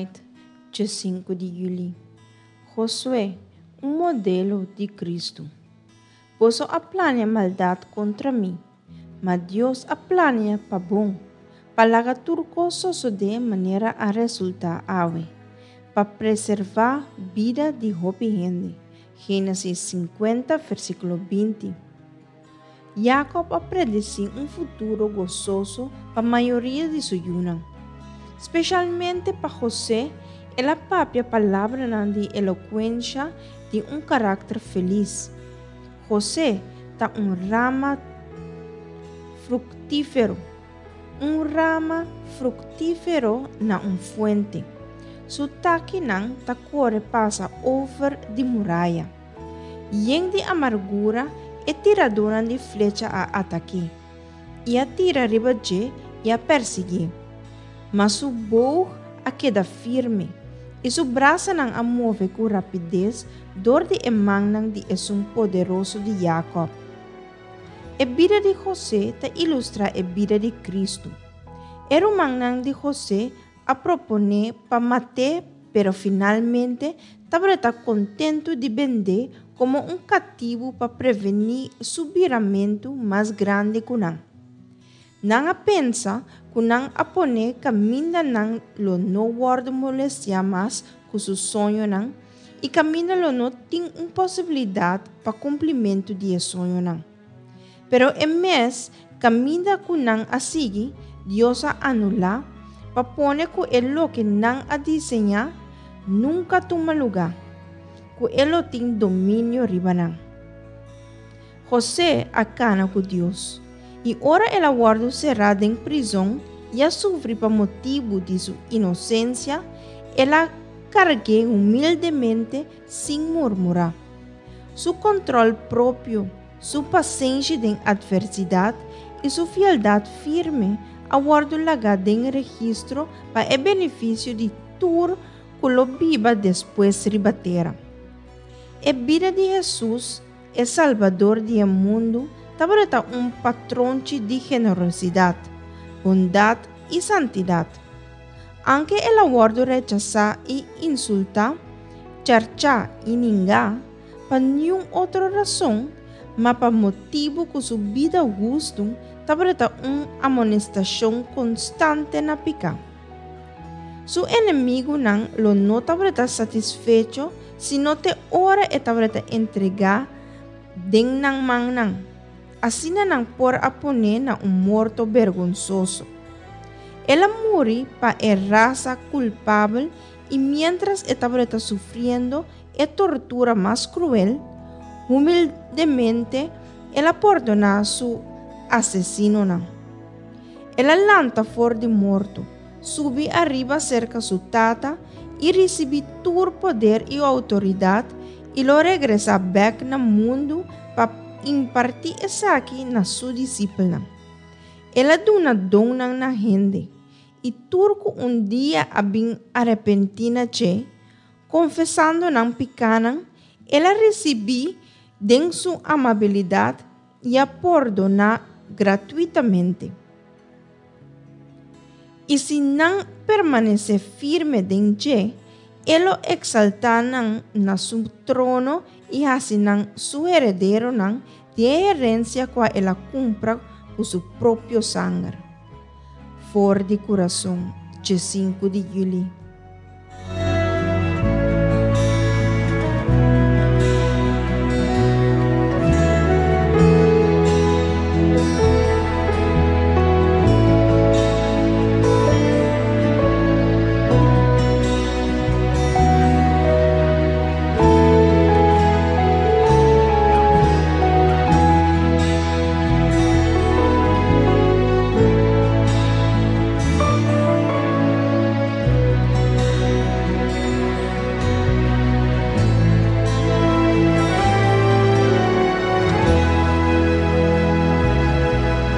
Kralendijk, 5 di yüli. Josué, un modelo di Kristu. Boso a plania maldat kontra mi, ma Dios a plania pa bon, pa laga tur kos sosodé manera a resultá awe, pa preservá bida di hopi hende. Génesis 50, versíkulo 20. Jakòb a predesí un futuro gososo pa mayoria di su yunan. Speshalmente pa José, el a papia palabranan di elokuensha di un karakter felis. José ta un rama fruktífero, un rama fruktífero na un fuente. Su takinan ta kore pasa over di muraya. Yen di amargura e tiradónan di flecha a atak'é, i a tira riba dje i a persiguié. Ma su boog a keda firme, i su brasanan a move ku rapides dor di e mannan di Esun Poderoso di Jakòb. E bida di José ta ilustrá e bida di Kristu. E rumannan di José a proponé pa mat'é pero finalmente tabata kontentu di bend'é komo un katibu pa prevení su biramentu mas grandi ku nan. Nan a pensa ku nan a pon'é kaminda nan lo no wòrdu molestiá mas ku su soñonan i kaminda lo no tin un posibilidat pa kumplimentu di e soñonan. Pero e mes kaminda ku nan a sigui, Dios a anulá pa pone ku e loke nan a diseñá nunka tuma lugá, ku e lo tin dominio riba nan. José a kana ku Dios, i ora el a wòrdu será den prizon i a sufri pa motibu di su inosensia, el a karg'é humildemente sin murmurá. Su kòntròl propio, su pasenshi den atversidat i su fieldat firme a wòrdu lagá den registro pa e benefisio di tur ku lo biba despues riba tera. E bida di Hesus, e Salbador di e mundu, tabata un patronchi di generosidat, bondat i santidat. Anke el a wòrdu rechasá i insultá, charchá i ningá, pa niun otro rason, ma pa motibu ku su bida hustu tabata un amonestashon konstante na piká. Su enemigunan lo no tabata satisfecho sino te ora e tabata entregá den nan mannan. Asina nan por a pon'é na un morto bergonsoso. El a muri pa e rasa kulpabel i miéntras e tabata sufriendo e tortura mas kruel, humildemente el a pordoná su asesinonan. El a lanta for di morto, subi ariba serka su Tata i risibí tur poder i outoridat i lo regresá bèk na mundu pa impartí esaki na su disipelnan. El a duna donnan na hende, i tur ku un dia a bin arepentí na dje, konfesando nan pikánan, el a risibí den su amabilidat i a pordoná gratuitamente. I si nan permanesé firme den dje, e lo eksaltá nan na su trono i hasi nan su herederonan di e herensia kua el a kumpra ku su propio sanger. For di kurason, dje sinku di yüli.